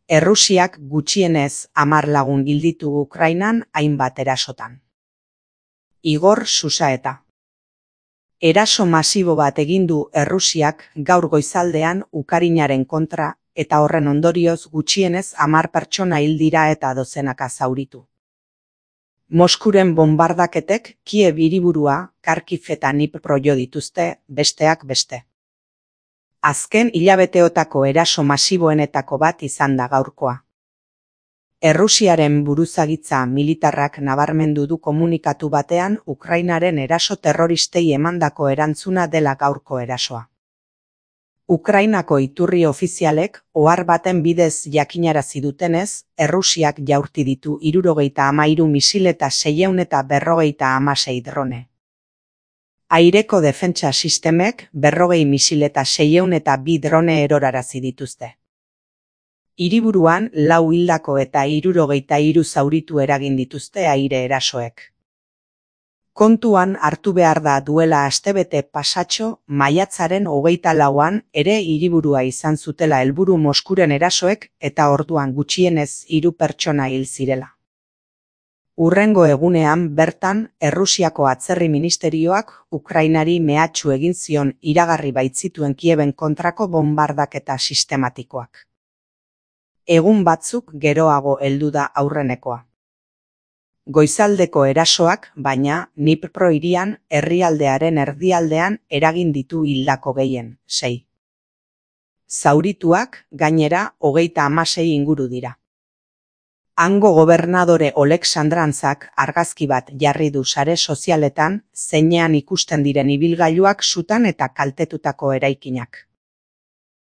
Errusiak gutxienez 10 lagun hil ditu Ukrainan hainbat erasotan. Igor Susaeta. Eraso masibo bat egin du Errusiak gaur goizaldean Ukrainaren kontra eta horren ondorioz gutxienez 10 pertsona hil dira eta dozenaka zauritu. Moskuren bonbardaketek Kiev hiriburua, Kharkiv eta Dnipro jo dituzte, besteak beste. Azken hilabeteotako eraso masiboenetako bat izan da gaurkoa. Errusiaren buruzagitza militarrak nabarmendu du komunikatu batean Ukrainaren eraso terroristei emandako erantzuna dela gaurko erasoa. Ukrainako iturri ofizialek ohar baten bidez jakinarazi dutenez, Errusiak jaurti ditu 73 misil eta 656 drone. Aireko defentsa sistemek 40 misil eta 602 drone erorarazi dituzte. Hiriburuan 4 hildako eta 73 zauritu eragin dituzte aire erasoek. Kontuan hartu behar da duela astebete pasatxo, maiatzaren 24an ere hiriburua izan zutela helburu Moskuren erasoek eta orduan gutxienez 3 pertsona hil zirela. Hurrengo egunean bertan, Errusiako atzerri ministerioak Ukrainari mehatxu egin zion iragarri baitzituen Kieben kontrako bonbardaketa sistematikoak. Egun batzuk geroago heldu da aurrenekoa. Goizaldeko erasoak, baina, Dnipro hirian, herrialdearen erdialdean eragin ditu hildako gehien, 6. Zaurituak, gainera, 36 inguru dira. Hango gobernadore Oleksandrantzak argazki bat jarri du sare sozialetan, zeinean ikusten diren ibilgailuak sutan eta kaltetutako eraikinak.